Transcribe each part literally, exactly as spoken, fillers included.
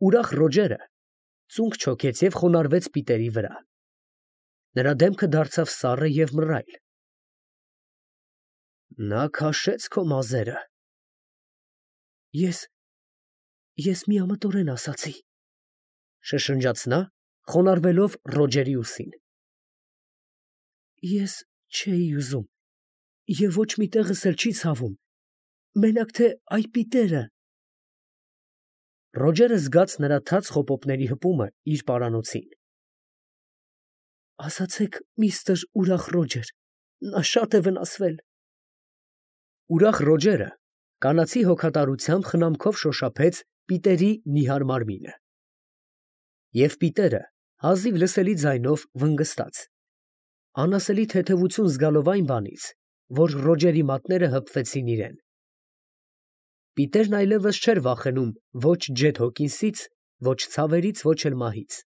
ուրախ Ռոջերը ծունկ չոքեց և խոնարհվեց Պիտերի վրա. նրա դեմքը դարձավ սառը և մռայլ։ Նա քաշեց քո մազերը։ Ես, ես միամտորեն ասացի, շշնջաց նա, խոնարհվելով Ռոջերի ուսին։ Ես չէի ուզում, և ոչ մի տեղս էլ չի ցավում, մենակ թե այ Պիտերը։ Ռոջերը զգաց նրա թաց խոպոպների հպումը իր պարանոցին։ Ասացեք, միստր ուրախ Ռոջեր, նա շատ է վնասվել։ Ուրախ Ռոջերը կանացի հոգատարությամբ խնամքով շոշափեց Պիտերի նիհար մարմինը։ Եվ Պիտերը հազիվ լսելի ձայնով վնգստաց, անասելի թեթևություն զգալով այն բանից, որ Ռոջերի մատները հպվեցին իրեն։ Պիտերն այլևս չէր վախենում ոչ Ջեթ Հոքինսից, ոչ ցավերից, ոչ էլ մահից։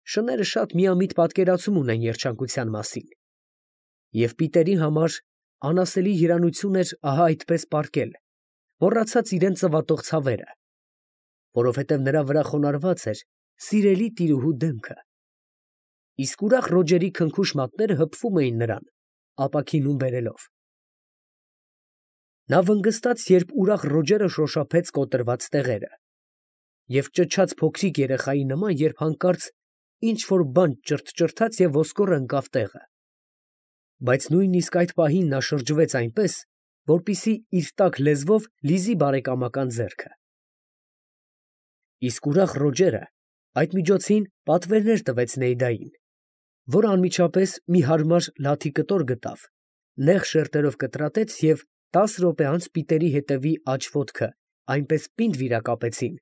Շները շատ միամիտ պատկերացում ունեն երջանկության մասին, և Պիտերի համար անասելի երանություն էր ահա այդպես պառկել, մոռացած իրան ծվատող ցավերը, որովհետև նրա վրա խոնարհված էր սիրելի տիրուհու դեմքը, իսկ ուրախ Ռոջերի քնքուշ մատները հպվում էին նրան, ապաքինում բերելով։ Նա վնգստաց, երբ ուրախ Ռոջերը շոշափեց կոտրված տեղերը, և ճչաց փոքրիկ երեխայի նման, երբ հանկարծ ինչ֊որ բան ճրթ֊ճրթաց և ոսկորը ընկավ տեղը։ Բայց նույնիսկ այդ պահին նա շրջվեց այնպես, որպեսզի իր տաք լեզվով լիզի բարեկամական ձեռքը։ Իսկ ուրախ Ռոջերը այդ միջոցին պատվերներ տվեց Նեյդային, որը անմիջապես մի հարմար լաթի կտոր գտավ, նեղ շերտերով կտրատեց և տասը րոպե անց Պիտերի հետևի աջ ոտքը այնպես պինդ վիրակապեցին,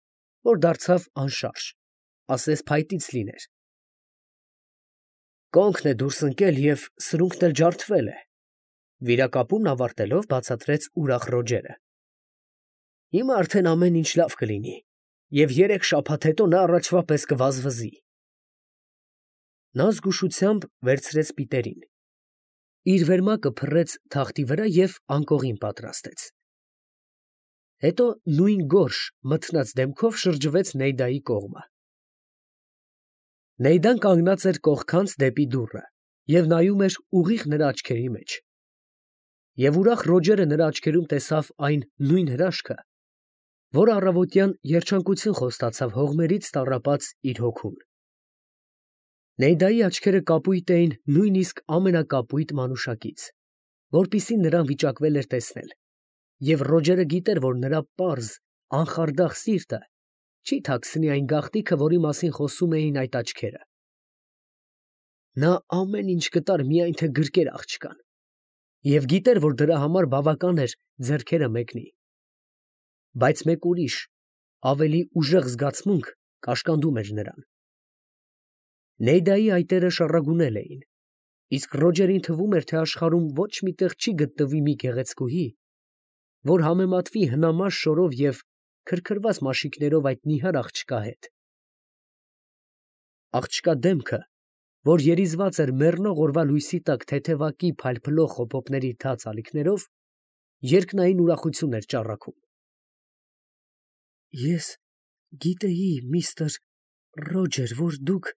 որ դարձավ անշարժ, ասես փայտից լիներ։ Կոնքն է դուրս ընկել և սրունքն էլ ջարդվել է, վիրակապումն ավարտելով բացատրեց ուրախ Ռոջերը։ Հիմա արդեն ամեն ինչ լավ կլինի, և երեք շաբաթ հետո նա առաջվա պես կվազվզի։ Նա զգուշությամբ վերցրեց Պիտերին, իր վերմակը փռեց թախտի վրա և անկողին պատրաստեց։ Հետո նույն գորշ, մթնած դեմքով շրջվեց Նեյդայի կողմը։ Նեյդան կանգնած էր կողքանց դեպի դուռը և նայում էր ուղիղ նրա աչքերի մեջ։ Եվ ուրախ Ռոջերը նրա աչքերում տեսավ այն նույն հրաշքը, որը առավոտյան երջանկություն խոստացավ հողմերից տառապած իր հոգուն։ Նեյդայի աչքերը կապույտ էին նույնիսկ ամենակապույտ մանուշակից, որպեսզի նրան վիճակվել էր տեսնել, և Ռոջերը գիտեր, որ նրա պարզ, անխարդախ սիրտը չի թաքցնի այն գաղտնիքը, որի մասին խոսում էին այդ աչքերը։ Նա ամեն ինչ կտար, միայն թե գրկեր աղջկան, և գիտեր, որ դրա համար բավական էր ձեռքերը մեկնի։ Բայց մեկ ուրիշ, ավելի ուժեղ զգացմունք կաշկանդում էր նրան։ Նեյդայի այտերը շառագունել էին, իսկ Ռոջերին թվում էր, թե աշխարհում ոչ մի տեղ չի գտնվի մի գեղեցկուհի, որ համեմատվի հնամաշ շորով և քրքրված մաշիկներով այդ նիհար աղջկա հետ։ Աղջկա դեմքը, որ երիզված էր մեռնող օրվա լույսի տակ թեթևակի փայլփլող խոպոպների թաց ալիքներով, երկնային ուրախություն էր ճառագում։ Ես գիտեի, միստր Ռոջեր, որ դուք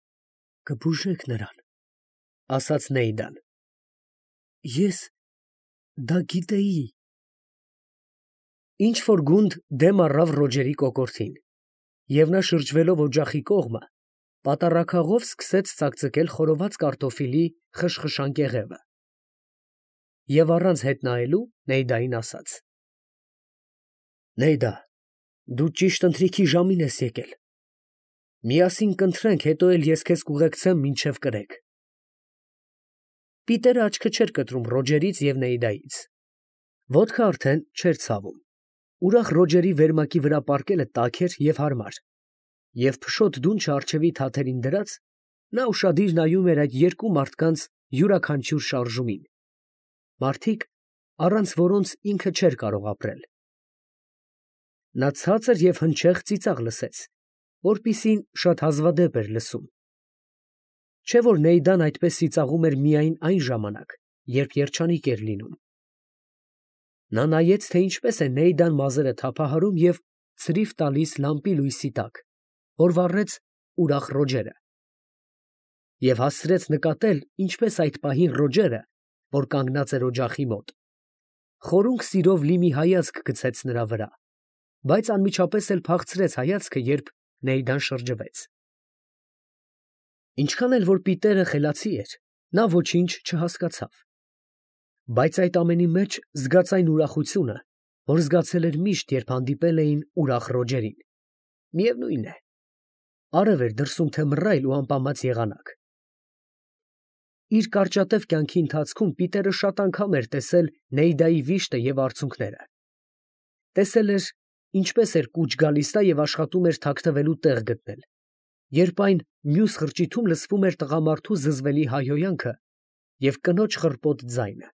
կբուժեք նրան, ֊ ասաց Նեյդան։ Ես դա գիտեի։ Ինչ֊որ գունդ դեմ առավ Ռոջերի կոկորդին, և նա շրջվելով օջախի կողմը, պատառաքաղով սկսեց ծակծկել խորոված կարտոֆիլի խշխշան կեղևը։ Եվ առանց հետ նայելու Նեյդային ասաց. Նեյդա, դու ճիշտ ընթրիքի ժամին ես եկել։ Միասին կընթրենք, հետո էլ ես քեզ կուղեկցեմ մինչև կրեք։ Պիտերը աչքը չէր կտրում Ռոջերից և Նեյդայից։ Ոտքը արդեն չէր ցավում։ Ուրախ Ռոջերի վերմակի վրա պառկելը տաք էր և հարմար, և փշոտ դունչը առջևի թաթերին դրած, նա ուշադիր նայում էր այդ երկու մարդկանց յուրաքանչյուր շարժումին, մարդիկ, առանց որոնց ինքը չէր կարող ապրել։ Նա ցածր և հնչեղ ծիծաղ լսեց, որպիսին շատ հազվադեպ էր լսում։ Չէ՞ որ Նեյդան այդպես ծիծաղում էր միայն այն ժամանակ, երբ երջանիկ էր լինում։ Նա նայեց, թե ինչպես է Նեյդան մազերը թափահարում և ցրիվ տալիս լամպի լույսի տակ, որ վառեց ուրախ Ռոջերը, և հասցրեց նկատել, ինչպես այդ պահին Ռոջերը, որ կանգնած էր օջախի մոտ, խորունգ սիրով լի մի հայացք գցեց նրա վրա, բայց անմիջապես էլ փախցրեց հայացքը, երբ Նեյդան շրջվեց։ Ինչքան էլ որ Պիտերը խելացի էր, նա ոչինչ չհասկացավ, բայց այդ ամենի մեջ զգաց այն ուրախությունը, որ զգացել էր միշտ, երբ հանդիպել էին ուրախ Ռոջերին, միևնույն է, արև էր դրսում թե մռայլ ու ամպամած եղանակ։ Իր կարճատև կյանքի ընթացքում Պիտերը շատ անգամ էր տեսել Նեյդայի վիշտը և արցունքները, տեսել էր, ինչպես էր կուչ գալիս նա և աշխատում էր թաքնվելու տեղ գտնել, երբ այն մյուս խրճիթում լսվում էր տղամարդու զզվելի հայհոյանքը և կնոջ խռպոտ ձայնը,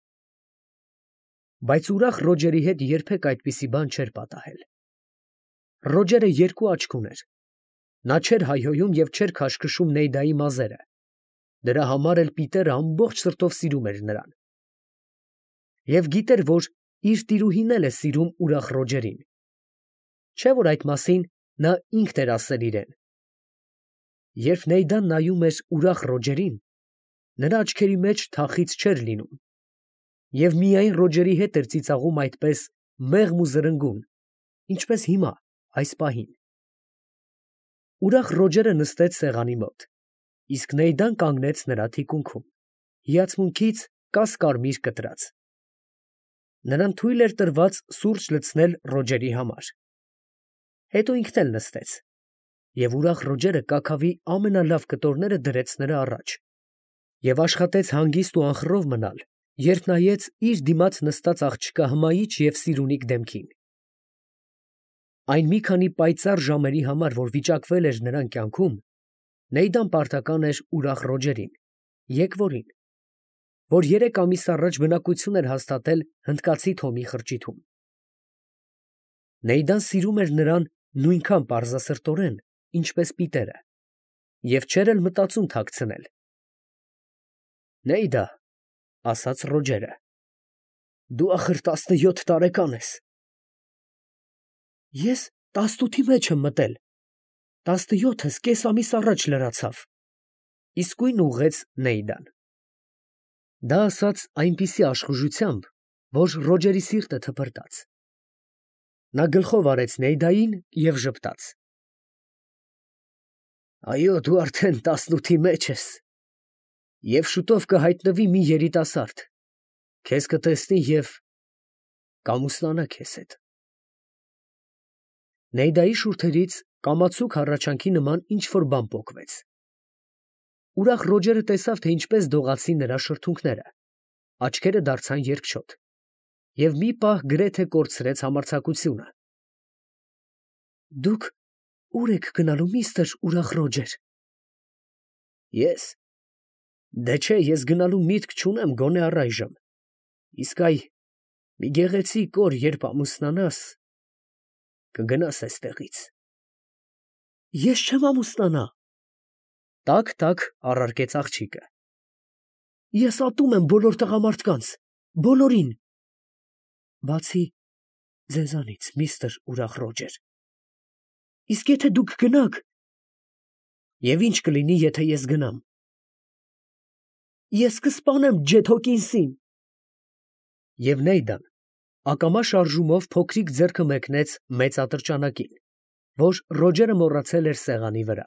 բայց ուրախ Ռոջերի հետ երբեք այդպիսի բան չէր պատահել։ Ռոջերը երկու աչք ուներ, նա չէր հայհոյում և չէր քաշքշում Նեյդայի մազերը, դրա համար էլ Պիտերը ամբողջ սրտով սիրում էր նրան, և գիտեր, որ իր տիրուհին էլ է սիրում ուրախ Ռոջերին, չէ՞ որ այդ մասին նա ինքն էր ասել իրեն։ Երբ Նեյդան նայում էր ուրախ Ռոջերին, նրա աչքերի մեջ թախիծ չէր լինում, և միայն Ռոջերի հետ էր ծիծաղում այդպես մեղմ ու զրնգուն, ինչպես հիմա, այս պահին։ Ուրախ Ռոջերը նստեց սեղանի մոտ, իսկ Նեյդան կանգնեց նրա թիկունքում, հիացմունքից կաս֊կարմիր կտրած։ Նրան թույլ էր տրված սուրճ լցնել Ռոջերի համար։ Հետո ինքն էլ նստեց, և ուրախ Ռոջերը կաքավի ամենալավ կտորները դրեց նրա առաջ և աշխատեց հանգիստ ու անխռով մնալ, երբ նայեց իր դիմաց նստած աղջկա հմայիչ և սիրունիկ դեմքին։ Այն մի քանի պայծառ ժամերի համար, որ վիճակվել էր նրան կյանքում, Նեյդան պարտական էր ուրախ Ռոջերին, եկվորին, որ երեք ամիս առաջ բնակություն էր հաստատել հնդկացի Թոմի խրճիթում։ Նեյդան սիրում էր նրան նույնքան պարզասրտորեն, ինչպես Պիտերը, և չէր էլ մտածում թաքցնել։ «Նեյդա, ֊ ասաց Ռոջերը, ֊ դու ախր տասնյոթ տարեկան ես։ Ես տասնութի մեջ եմ մտել, տասնյոթս կես ամիս առաջ լրացավ, ֊ իսկույն ուղղեց Նեյդան։ Դա ասաց այնպիսի աշխուժությամբ, որ Ռոջերի սիրտը թպրտաց։ Նա գլխով արեց Նեյդային և ժպտաց. «Այո, դու արդեն տասնութի մեջ ես, և շուտով կհայտնվի մի երիտասարդ, քեզ կտեսնի և կամուսնանա քեզ հետ»։ Նեյդայի շուրթերից կամացուկ հառաչանքի նման ինչ֊որ բան պոկվեց։ Ուրախ Ռոջերը տեսավ, թե ինչպես դողացին նրա շրթունքները, աչքերը դարձան երկչոտ, և մի պահ գրեթե կորցրեց համարձակությունը։ «Դուք ո՞ւր եք գնալու, միստր ուրախ Ռոջեր»։ «Ես… Դե չէ, ես գնալու միտք չունեմ գոնե առայժմ, իսկ այ մի գեղեցիկ օր, երբ ամուսնանաս, կգնաս էստեղից»։ «Ես չեմ ամուսնանա, ֊ տաք֊տաք առարկեց աղջիկը։ ֊ Ես ատում եմ բոլոր տղամարդկանց, բոլորին, բացի ձեզանից, միստր ուրախ Ռոջեր։ Իսկ եթե դուք գնաք… Եվ ի՞նչ կլինի, եթե ես գնամ։ Ես կսպանեմ Ջեթ Հոքինսին»։ Եվ Նեյդան ակամա շարժումով փոքրիկ ձեռքը մեկնեց մեծ ատրճանակին, որ Ռոջերը մոռացել էր սեղանի վրա։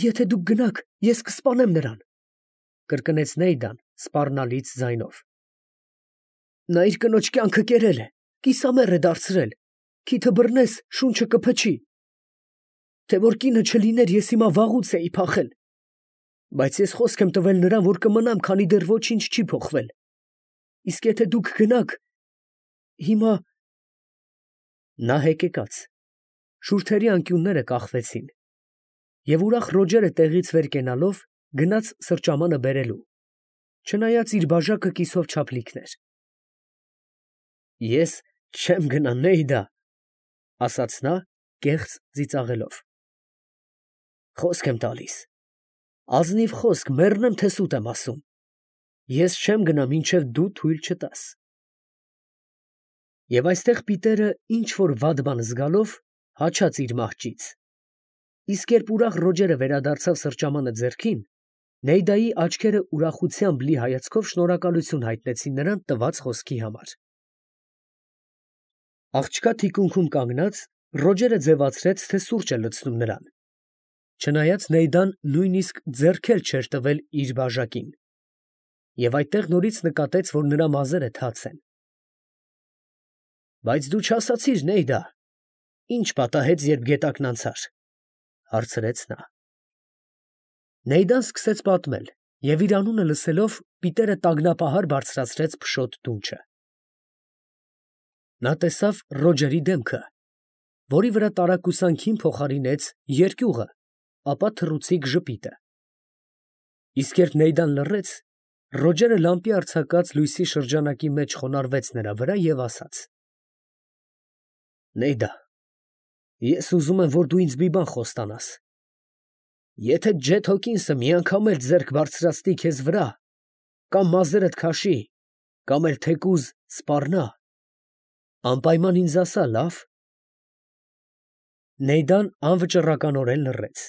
«Եթե դուք գնաք, ես կսպանեմ նրան», ֊ կրկնեց Նեյդան սպառնալից ձայնով։ «Նա իր կնոջ կյանքը կերել է, կիսամեռ է դարձրել, քիթը բռնես, շունչը կփչի։ Թե որ կինը չլիներ, ես հիմա վաղուց էի փախել, բայց ես խոսք եմ տվել նրան, որ կմնամ, քանի դեռ ոչինչ չի փոխվել։ Իսկ եթե դուք գնաք… հիմա…» Նա հեկեկաց, շուրթերի անկյունները կախվեցին, և ուրախ Ռոջերը տեղից վեր կենալով գնաց սրճամանը բերելու, չնայած իր բաժակը կիսով չափլիքն էր։ «Ես չեմ գնա, Նեյդա, ֊ ասաց նա, կեղծ ծիծաղելով։ ֊ Խոսք եմ տալիս, ազնիվ խոսք, մեռնեմ, թե սուտ եմ ասում, ես չեմ գնա, մինչև դու թույլ չտաս»։ Եվ այստեղ Պիտերը ինչ որ վատ բան զգալով հաչաց իր մահճից։ Իսկ երբ ուրախ Ռոջերը վերադարձավ սրճամանը ձեռքին, Նեյդայի աչքերը ուրախությամբ լի հայացքով շնորհակալություն հայտնեցին նրան տված խոսքի համար։ Աղջկա թիկունքում կանգնած Ռոջերը ձևացրեց, թե սուրճ է լցնում նրան, չնայած Նեյդան նույնիսկ ձեռք էլ չէր տվել իր բաժակին, և այդտեղ նորից նկատեց, որ նրա մազերը թաց են։ ֊ Բայց դու չասացիր, Նեյդա, ի՞նչ պատահեց, երբ գետակն անցար, ֊ հարցրեց նա։ Նեյդան սկսեց պատմել, և իր անունը լսելով Պիտերը տագնապահար բարձրացրեց փշոտ դունչը։ Նա տեսավ Ռոջերի դեմքը, որի վրա տարակուսանքին փոխարինեց երկյուղը, ապա թռուցիկ ժպիտը։ Իսկ երբ Նեյդան լռեց, Ռոջերը լամպի արձակած լույսի շրջանակի մեջ խոնարհվեց նրա վրա և ասաց. Նեյդա, ես ուզում եմ, որ դու ինձ մի բան խոստանաս. եթե Ջեթ Հոքինսը մի անգամ էլ ձեռք բարձրացնի քեզ վրա, կամ մազերդ քաշի, կամ էլ թեկուզ սպառնա, անպայման ինձ ասա, լա՞վ։ Նեյդան անվճռականորեն լռեց։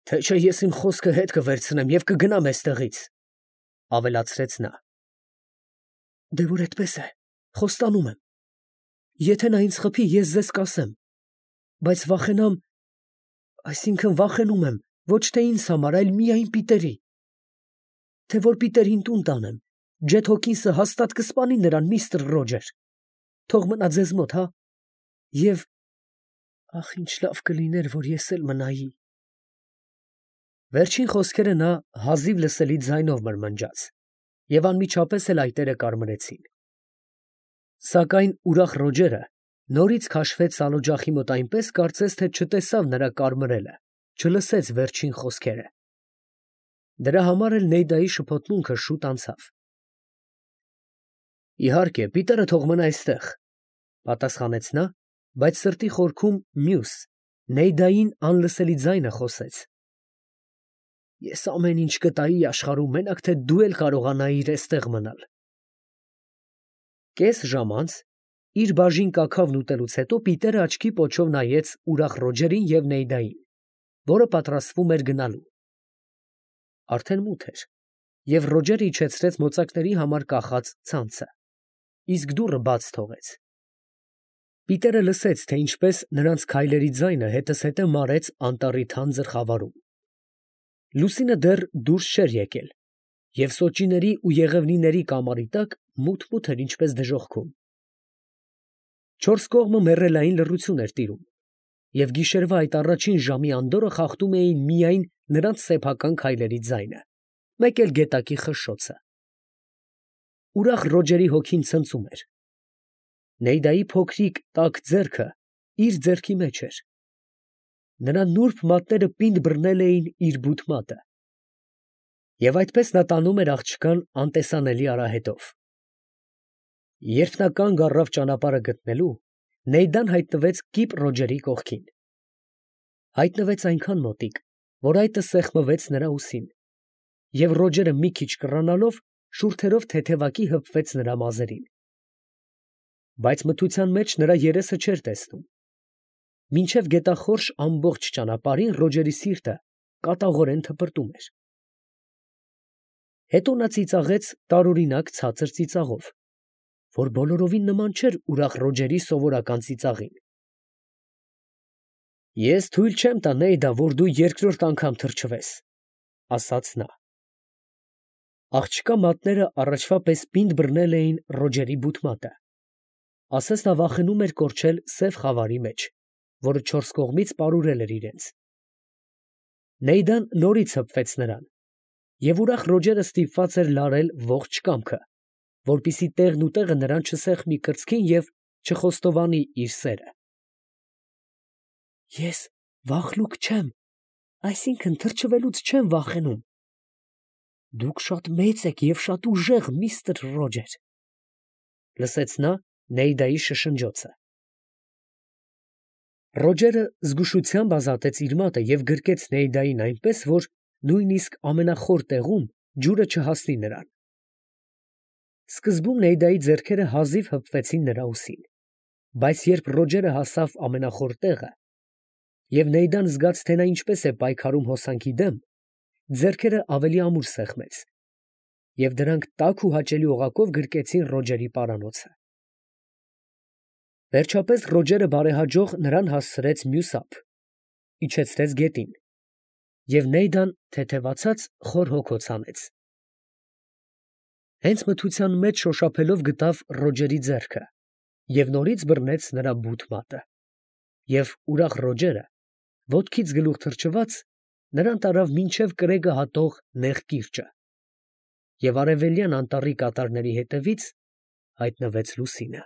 Թե չէ ես իմ խոսքը հետ կվերցնեմ և կգնամ էստեղից, ֊ ավելացրեց նա։ Դե որ այդպես է, խոստանում եմ. եթե նա ինձ խփի, ես ձեզ կասեմ, բայց վախենամ, այսինքն վախենում եմ, ոչ թե ինձ համար, այլ միայն Պիտերի, թե որ Պիտերին տուն տանեմ, Ջեթ Հոքինսը հաստատ կսպանի նրան, միստր Ռոջեր, թող մնա ձեզ մոտ, հա, և, ախ, ինչ լավ կլիներ, որ ես էլ մնայի։ Վերջին խոսքերը նա հազիվ լսելի ձայնով մրմնջաց, և անմիջապես էլ այտերը կարմրեցին։ Սակայն ուրախ Ռոջերը նորից քաշվեց սալօջախի մոտ այնպես, կարծես թե չտեսավ նրա կարմրելը, չլսեց վերջին խոսքերը։ Դրա համար էլ Նեյդայի շփոթմունքը շուտ անցավ։ Իհարկե, Պիտերը թող մնա այստեղ, ֊ պատասխանեց նա, բայց սրտի խորքում մյուս, Նեյդային անլսելի ձայնը խոսեց. Ես ամեն ինչ կտայի աշխարհում, մենակ թե դու էլ կարողանայիր էստեղ մնալ։ Կես ժամ անց, իր բաժին կաքավն ուտելուց հետո Պիտերը աչքի պոչով նայեց ուրախ Ռոջերին և Նեյդային, որը պատրաստվում էր գնալու։ Արդեն մութ էր, և Ռոջերը իջեցրեց մոծակների համար կախած ցանցը, իսկ դուռը բաց թողեց։ Պիտերը լսեց, թե ինչպես նրանց քայլերի ձայնը հետզհետե մարեց անտառի թանձր խավարում։ Լուսինը դեռ դուրս չէր եկել, և սոճիների ու եղևնիների կամարի տակ մութ֊մութ էր ինչպես դժոխքում։ Չորս կողմը մեռելային լռություն էր տիրում, և գիշերվա այդ առաջին ժամի անդորրը խախտում էին միայն նրանց սեփական քայլերի ձայնը, մեկ էլ գետակի խշշոցը։ Ուրախ Ռոջերի հոգին ցնծում էր։ Նեյդայի փոքրիկ տաք ձեռքը իր ձեռքի մեջ էր։ Նրա նուրբ մատները պինդ բռնել էին իր բութ մատը։ Եվ այդպես նա տանում էր աղջկան անտեսանելի արահետով։ Երբ նա կանգ առավ ճանապարհը գտնելու, Նեյդան հայտնվեց կիպ Ռոջերի կողքին։ Հայտնվեց այնքան մոտիկ, որ այտը սեղմվեց նրա ուսին, և Ռոջերը մի քիչ կռանալով շուրթերով թեթևակի հպվեց նրա մազերին։ Բայց մթության մեջ նրա երեսը չէր տեսնում։ Մինչև գետախորշ ամբողջ ճանապարհին Ռոջերի սիրտը կատաղորեն թպրտում էր։ Հետո նա ծիծաղեց տարօրինակ ցածր ծիծաղով, որ բոլորովին նման չէր ուրախ Ռոջերի սովորական ծիծաղին։ Ես թույլ չեմ տա, Նեյդա, որ դու երկրորդ անգամ թրջվես, ֊ ասաց նա։ Աղջկա մատները առաջվա պես պինդ բռնել էին Ռոջերի բութ մատը, ասես նա վախենում էր կորչել սև խավարի մեջ, որը չորս կողմից պարուրել էր իրենց։ Նեյդան նորից հպվեց նրան, և ուրախ Ռոջերը ստիպված էր լարել ողջ կամքը, որպեսզի տեղն ու տեղը նրան չսեղմի կրծքին և չխոստովանի իր սերը։ Ես վախլուկ չեմ, այսինքն թրջվելուց չեմ վախենում։ Դուք շատ մեծ եք և շատ ուժեղ, միստր Ռոջեր, ֊ լսեց նա Նեյդայի շշնջոցը։ Ռոջերը զգուշությամբ ազատեց իր մատը և գրկեց Նեյդային այնպես, որ նույնիսկ ամենախոր տեղում ջուրը չհասնի նրան։ Սկզբում Նեյդայի ձեռքերը հազիվ հպվեցին նրա ուսին, բայց երբ Ռոջերը հասավ ամենախոր տեղը, և Նեյդան զգաց, թե նա ինչպես է պայքարում հոսանքի դեմ, ձեռքերը ավելի ամուր սեղմեց, և դրանք տաք ու հաճելի օղակով գրկեցին Ռոջերի պարանոցը։ Վերջապես Ռոջերը բարեհաջող նրան հասցրեց մյուս ափ, իջեցրեց գետին, և Նեյդան թեթևացած խոր հոգոց հանեց։ Հենց մթության մեջ շոշափելով գտավ Ռոջերի ձեռքը և նորից բռնեց նրա բութ մատը, և ուրախ Ռոջերը, ոտքից գլուխ թռչված, նրան տարավ մինչև կրեկը հատող նեղ կիրճը, և արևելյան անտառի կատարների հետևից հայտնվեց լուսինը։